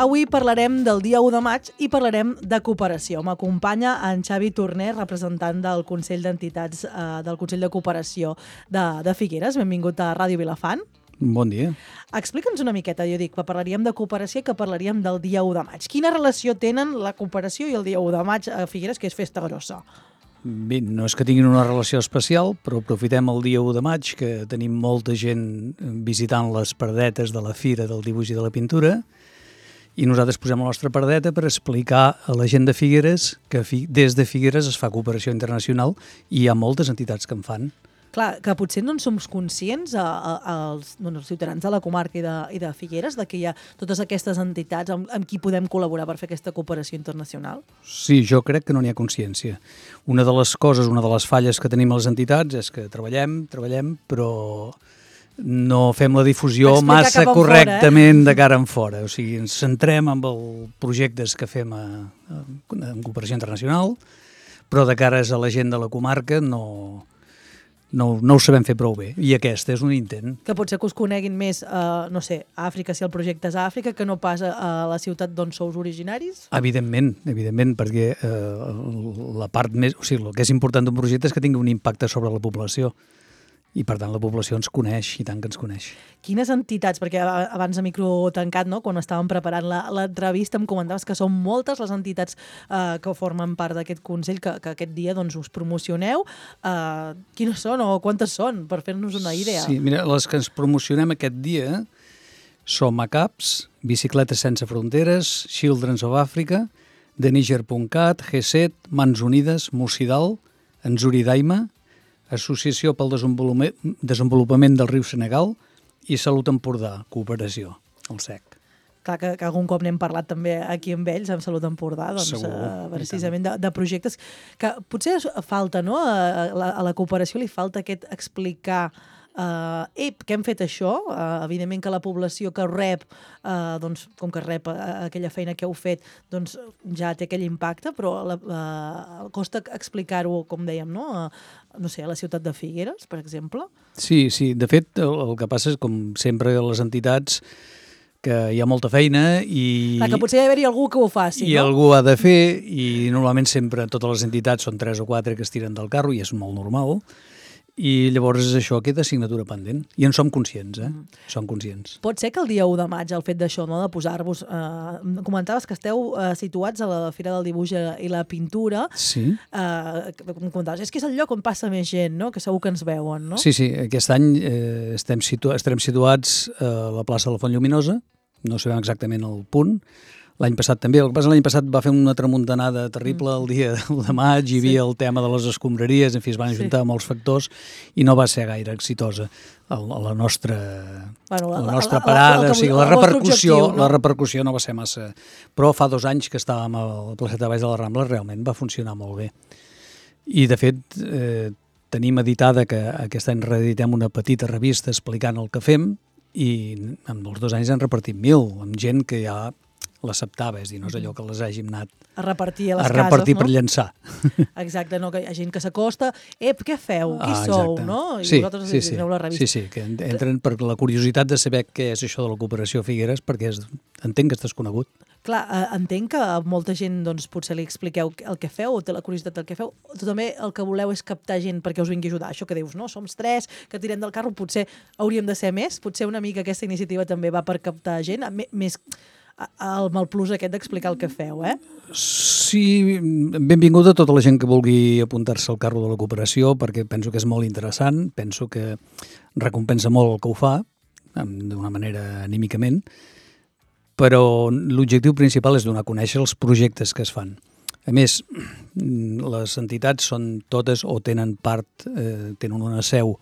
Avui parlarem del dia 1 de maig i parlarem de cooperació. M'acompanya en Xavi Torner, representant del Consell d'Entitats del Consell de Cooperació de Figueres. Benvingut a Ràdio Vilafant. Bon dia. Explica'ns una miqueta, jo dic, que parlaríem de cooperació i que parlaríem del dia 1 de maig. Quina relació tenen la cooperació i el dia 1 de maig a Figueres, que és festa grossa? Bé, no és que tinguin una relació especial, però aprofitem el dia 1 de maig, que tenim molta gent visitant les pardetes de la Fira del Dibuix i de la Pintura, i nosaltres posem la nostra pardeta per explicar a la gent de Figueres que des de Figueres es fa cooperació internacional i hi ha moltes entitats que en fan. Clar, que potser no en som conscients els ciutadans de la comarca i de Figueres de que hi ha totes aquestes entitats amb qui podem col·laborar per fer aquesta cooperació internacional? Sí, jo crec que no n'hi ha consciència. Una de les coses, una de les falles que tenim a les entitats és que treballem, però no fem la difusió massa correctament de cara en fora. O sigui, ens centrem en els projectes que fem en cooperació internacional, però de cares a la gent de la comarca no ho sabem fer prou bé, i aquest és un intent. Que potser que us coneguin més, no sé, a Àfrica, si el projecte és a Àfrica, que no pas a la ciutat d'on sous originaris? Evidentment, perquè la part més... O sigui, el que és important d'un projecte és que tingui un impacte sobre la població, i per tant la població ens coneix, i tant que ens coneix. Quines entitats, perquè abans de micro tancat, no, quan estàvem preparant l'entrevista, em comentaves que són moltes les entitats que formen part d'aquest Consell, que aquest dia doncs, us promocioneu. Quines són o quantes són, per fer-nos una idea? Sí, mira, les que ens promocionem aquest dia som ACAPS, Bicicletes Sense Fronteres, Children's of Africa, TheNiger.cat, G7, Mans Unides, Musidal, Enzuri Daima, Associació pel Desenvolupament del Riu Senegal i Salut Empordà, Cooperació, el SEC. Clar, que algun cop n'hem parlat també aquí amb ells, amb Salut Empordà, doncs, precisament de projectes que potser falta, no? A la cooperació li falta aquest explicar que hem fet això, evidentment que la població que rep, doncs, com que rep aquella feina que heu fet, doncs ja té aquell impacte, però costa explicar-ho, com dèiem, no sé, a la ciutat de Figueres, per exemple? Sí, de fet, el que passa és, com sempre, a les entitats, que hi ha molta feina i... Clar, que potser hi ha d'haver-hi algú que ho faci, no? I algú ha de fer, i normalment sempre totes les entitats són 3 o 4 que es tiren del carro, i és molt normal. I llavors això queda assignatura pendent. I en som conscients, Som conscients. Pot ser que el dia 1 de maig, el fet d'això, no?, de posar-vos... comentaves que esteu situats a la Fira del Dibuix i la Pintura. Sí. Comentaves, és que és el lloc on passa més gent, no?, que segur que ens veuen, no? Sí, aquest any estarem situats a la plaça de la Font Lluminosa, no sabem exactament el punt. L'any passat també. El que passa, l'any passat va fer una tramuntanada terrible el dia 1 de maig, hi havia el tema de les escombraries, en fi, es van ajuntar molts factors i no va ser gaire exitosa la nostra parada, o sigui, la repercussió no va ser massa. Però fa 2 anys que estàvem a la placeta de Baix de la Rambla, realment va funcionar molt bé. I, de fet, tenim editada que aquest any reeditem una petita revista explicant el que fem i en els 2 anys han repartit 1.000, amb gent que ja l'acceptava, és a dir, no és allò que les hàgim anat a repartir a les cases, no? Per llançar. Exacte, no? Que hi ha gent que s'acosta, què feu? Qui sou? No? I vosaltres aneu la revista. Sí, que entren per la curiositat de saber què és això de la cooperació a Figueres, perquè entenc que és desconegut. Clar, entenc que a molta gent doncs, potser li expliqueu el que feu, o té la curiositat del que feu, però també el que voleu és captar gent perquè us vingui a ajudar. Això que dius, no? Som 3 que tirem del carro, potser hauríem de ser més, potser una mica aquesta iniciativa també va per captar gent, més amb el plus aquest d'explicar el que feu, Sí, benvinguda a tota la gent que vulgui apuntar-se al carro de la cooperació, perquè penso que és molt interessant, penso que recompensa molt el que ho fa, d'una manera anímicament, però l'objectiu principal és donar a conèixer els projectes que es fan. A més, les entitats són totes o tenen una seu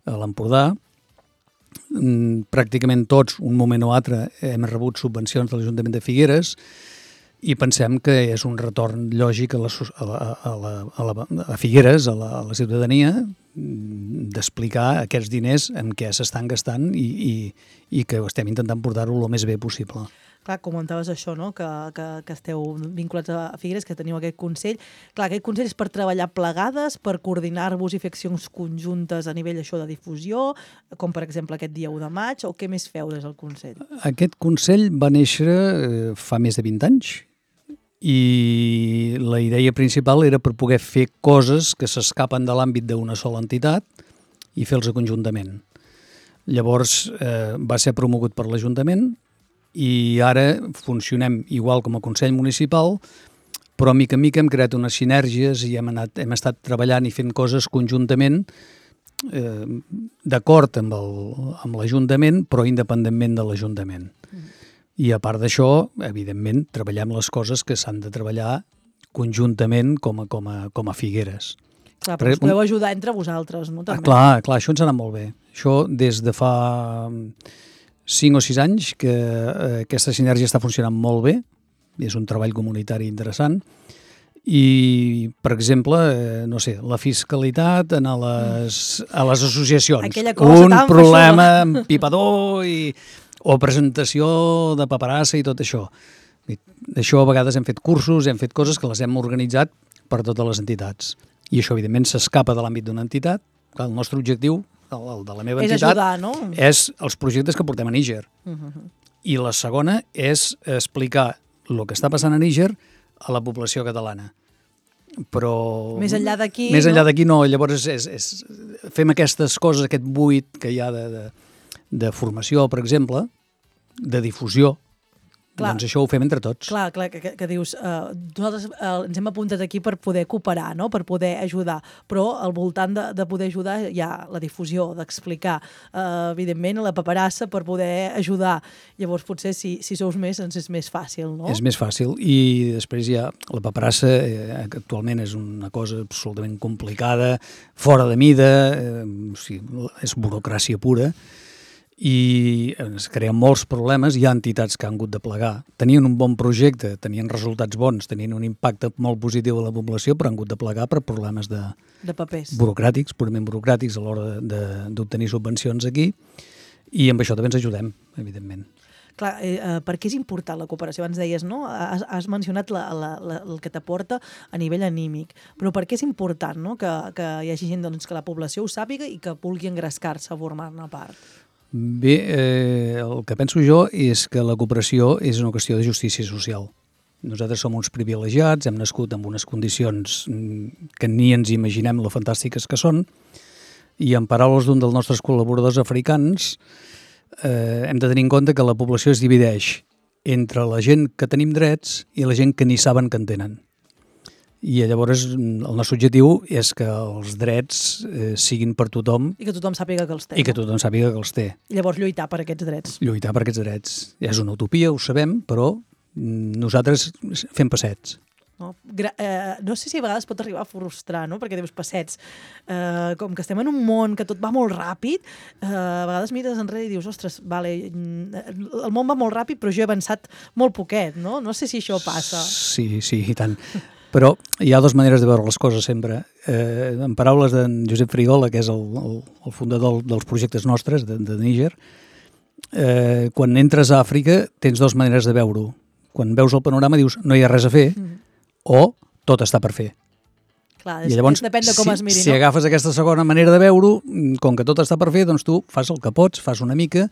a l'Empordà. Pràcticament tots, un moment o altre, hem rebut subvencions de l'Ajuntament de Figueres i pensem que és un retorn lògic a Figueres, a la ciutadania, d'explicar aquests diners en què s'estan gastant i que estem intentant portar-ho el més bé possible. Clar, comentaves això, no? Que esteu vinculats a Figueres, que teniu aquest consell. Clar, aquest consell és per treballar plegades, per coordinar-vos i fer accions conjuntes a nivell això de difusió, com per exemple aquest dia 1 de maig, o què més feu des del consell? Aquest consell va néixer fa més de 20 anys i la idea principal era per poder fer coses que s'escapen de l'àmbit d'una sola entitat i fer-los conjuntament. Llavors va ser promogut per l'Ajuntament i ara funcionem igual com a Consell Municipal, però mica en mica hem creat unes sinergies i hem estat treballant i fent coses conjuntament d'acord amb l'Ajuntament, però independentment de l'Ajuntament. I a part d'això, evidentment, treballem les coses que s'han de treballar conjuntament com a Figueres. Clar, però us podeu ajudar entre vosaltres, no? També. Clar, això ens ha anat molt bé. Això des de fa 5 o 6 anys que aquesta sinergia està funcionant molt bé, és un treball comunitari interessant, i, per exemple, no sé, la fiscalitat a les associacions. Un problema amb pipador o presentació de paperassa i tot això. D'això a vegades hem fet cursos, hem fet coses que les hem organitzat per totes les entitats. I això, evidentment, s'escapa de l'àmbit d'una entitat. El nostre objectiu, el de la meva entitat, és ajudar, no? És els projectes que portem a Níger. I la segona és explicar el que està passant a Níger a la població catalana. Però més enllà d'aquí... Més enllà d'aquí no. Llavors fem aquestes coses, aquest buit que hi ha de formació, per exemple, de difusió. Clar, doncs això ho fem entre tots. Clar, que dius, nosaltres ens hem apuntat aquí per poder cooperar, no? Per poder ajudar, però al voltant de poder ajudar hi ha la difusió, d'explicar, evidentment, la paperassa per poder ajudar. Llavors, potser, si sous més, ens és més fàcil, no? És més fàcil, i després hi ha la paperassa, que actualment és una cosa absolutament complicada, fora de mida, és burocràcia pura, i es creen molts problemes. Hi ha entitats que han hagut de plegar. Tenien un bon projecte, tenien resultats bons, tenien un impacte molt positiu a la població, però han hagut de plegar per problemes de papers burocràtics, purament burocràtics, a l'hora d'obtenir subvencions aquí, i amb això també ens ajudem, evidentment. Clar, per què és important la cooperació? Abans deies, no? Has mencionat el que t'aporta a nivell anímic, però per què és important, no? Que hi hagi gent, doncs, que la població ho sàpiga i que vulgui engrescar-se a formar-ne part? Bé, el que penso jo és que la cooperació és una qüestió de justícia social. Nosaltres som uns privilegiats, hem nascut en unes condicions que ni ens imaginem lo fantàstiques que són, i en paraules d'un dels nostres col·laboradors africans, hem de tenir en compte que la població es divideix entre la gent que tenim drets i la gent que ni saben que en tenen. I llavors el nostre objectiu és que els drets siguin per tothom. I que tothom sàpiga que els té. I que tothom sàpiga que els té. I llavors lluitar per aquests drets. Lluitar per aquests drets. És una utopia, ho sabem, però nosaltres fem passets. No sé si a vegades pot arribar a frustrar, no? Perquè dius passets. Com que estem en un món que tot va molt ràpid, a vegades mires enrere i dius, ostres, vale, el món va molt ràpid, però jo he avançat molt poquet, no? No sé si això passa. Sí, i tant. Però hi ha dues maneres de veure les coses sempre. En paraules d'en Josep Frigola, que és el fundador dels projectes nostres de Níger, quan entres a Àfrica tens dues maneres de veure-ho. Quan veus el panorama dius no hi ha res a fer o tot està per fer. Clar, i llavors, depèn de com es miri, si agafes aquesta segona manera de veure-ho, com que tot està per fer, doncs tu fas el que pots, fas una mica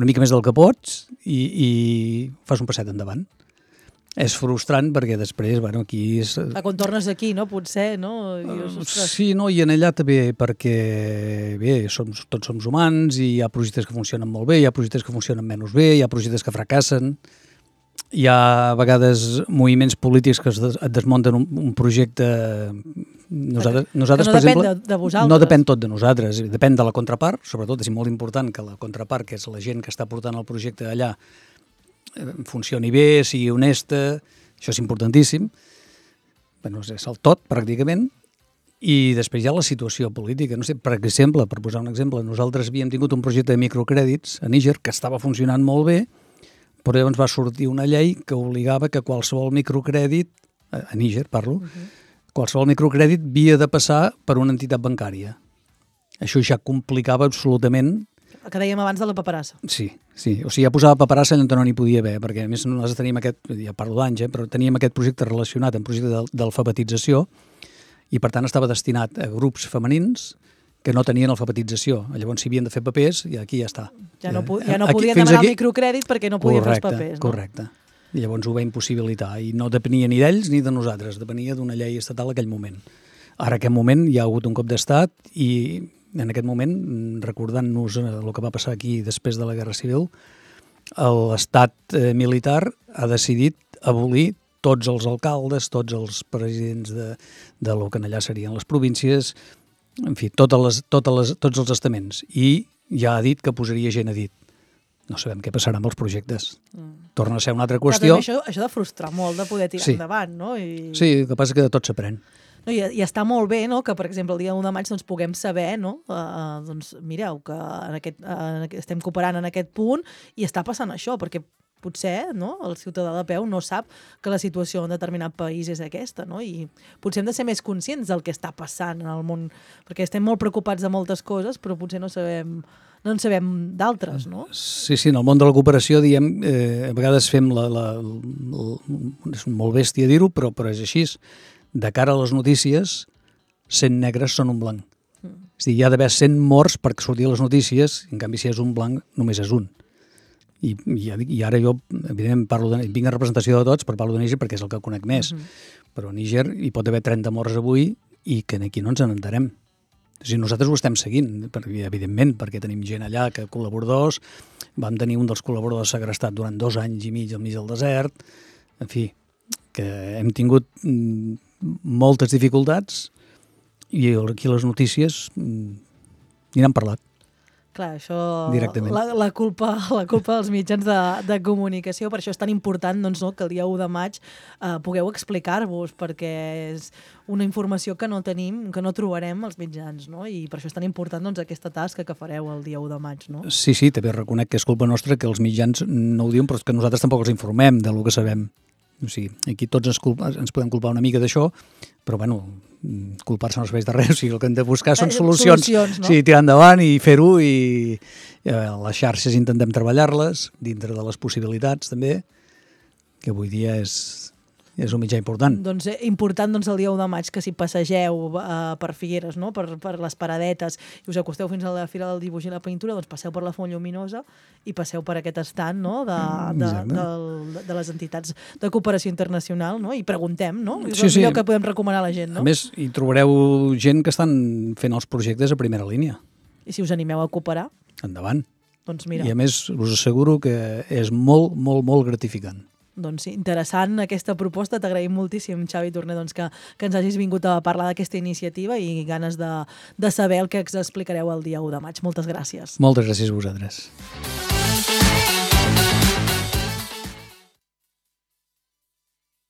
més del que pots i fas un passet endavant. És frustrant perquè després, bueno, aquí és... Quan tornes aquí, no? Potser, no? Sí, no, i en allà també, perquè bé, tots som humans i hi ha projectes que funcionen molt bé, hi ha projectes que funcionen menys bé, hi ha projectes que fracassen, hi ha a vegades moviments polítics que et desmunten un projecte... Nosaltres, no per exemple, depèn de vosaltres. No depèn tot de nosaltres, depèn de la contrapart, sobretot és molt important que la contrapart, que és la gent que està portant el projecte allà, funcioni bé, sigui honesta, això és importantíssim. Bueno, és el tot, pràcticament. I després hi ha la situació política. No sé, per exemple, per posar un exemple, nosaltres havíem tingut un projecte de microcrèdits a Níger que estava funcionant molt bé, però llavors va sortir una llei que obligava que qualsevol microcrèdit, a Níger parlo, qualsevol microcrèdit havia de passar per una entitat bancària. Això ja complicava absolutament El que dèiem abans de la paperassa. Sí. O sigui, ja posava paperassa allà on no n'hi podia haver, perquè a més nosaltres teníem ja parlo d'anys, però teníem aquest projecte relacionat amb projecte d'alfabetització i per tant estava destinat a grups femenins que no tenien alfabetització. Llavors, si havien de fer papers, i aquí ja està. Ja no podien demanar el microcrèdit perquè no podien fer els papers. Correcte. I llavors ho va impossibilitar. I no depenia ni d'ells ni de nosaltres, depenia d'una llei estatal en aquell moment. Ara, en aquest moment, hi ha hagut un cop d'estat i en aquest moment, recordant-nos el que va passar aquí després de la Guerra Civil, l'estat militar ha decidit abolir tots els alcaldes, tots els presidents de lo que allà serien les províncies, en fi, tots els estaments. I ja ha dit que posaria gent a dit. No sabem què passarà amb els projectes. Torna a ser una altra qüestió. Però això de frustrar molt, de poder tirar endavant, no? Sí, el que passa és que de tot s'aprèn. No, i està molt bé, no?, que, per exemple, el dia 1 de maig doncs, puguem saber, no?, doncs, mireu, que estem cooperant en aquest punt i està passant això, perquè potser, no?, el ciutadà de peu no sap que la situació en determinat país és aquesta, no?, i potser hem de ser més conscients del que està passant en el món, perquè estem molt preocupats de moltes coses, però potser no en sabem d'altres, no? Sí, en el món de la cooperació, diem, a vegades fem és molt bèstia dir-ho, però és així. De cara a les notícies, 100 negres són un blanc. És a dir, hi ha d'haver 100 morts perquè surti a les notícies, en canvi, si és un blanc, només és un. I ara jo, evidentment, vinc en representació de tots, però parlo de Níger perquè és el que conec més. Però a Níger hi pot haver 30 morts avui i que aquí no ens n'enterem. O sigui, nosaltres ho estem seguint, evidentment, perquè tenim gent allà, que col·laboradors, vam tenir un dels col·laboradors segrestat durant 2 anys i mig al mig del desert, en fi, que hem tingut moltes dificultats i aquí les notícies ni n'han parlat. Clar, això... Directament. La culpa dels mitjans de comunicació, per això és tan important doncs, no, que el dia 1 de maig pugueu explicar-vos, perquè és una informació que no tenim, que no trobarem als mitjans, no? I per això és tan important doncs, aquesta tasca que fareu el dia 1 de maig, no? Sí, també reconec que és culpa nostra que els mitjans no ho diuen, però que nosaltres tampoc els informem del que sabem. O sigui, aquí tots ens podem culpar una mica d'això, però, bueno, culpar-se no serveix de res. O sigui, el que hem de buscar són solucions, no? Sí, tirar endavant i fer-ho, i les xarxes intentem treballar-les dintre de les possibilitats, també, que avui dia és un mitjà important. Doncs important el dia 1 de maig que si passegeu per Figueres, no? per les paradetes, i us acosteu fins a la Fira del Dibuix i la Pintura, doncs passeu per la Font Lluminosa i passeu per aquest estand, no? de les entitats de cooperació internacional, no? I preguntem, no? És el millor que podem recomanar a la gent, no? A més, hi trobareu gent que estan fent els projectes a primera línia. I si us animeu a cooperar? Endavant. Doncs mira. I a més, us asseguro que és molt, molt, molt gratificant. Doncs interessant aquesta proposta, t'agraïm moltíssim, Xavi Torner, doncs, que ens hagis vingut a parlar d'aquesta iniciativa i ganes de saber el que ens explicareu el dia 1 de maig. Moltes gràcies. Moltes gràcies a vosaltres.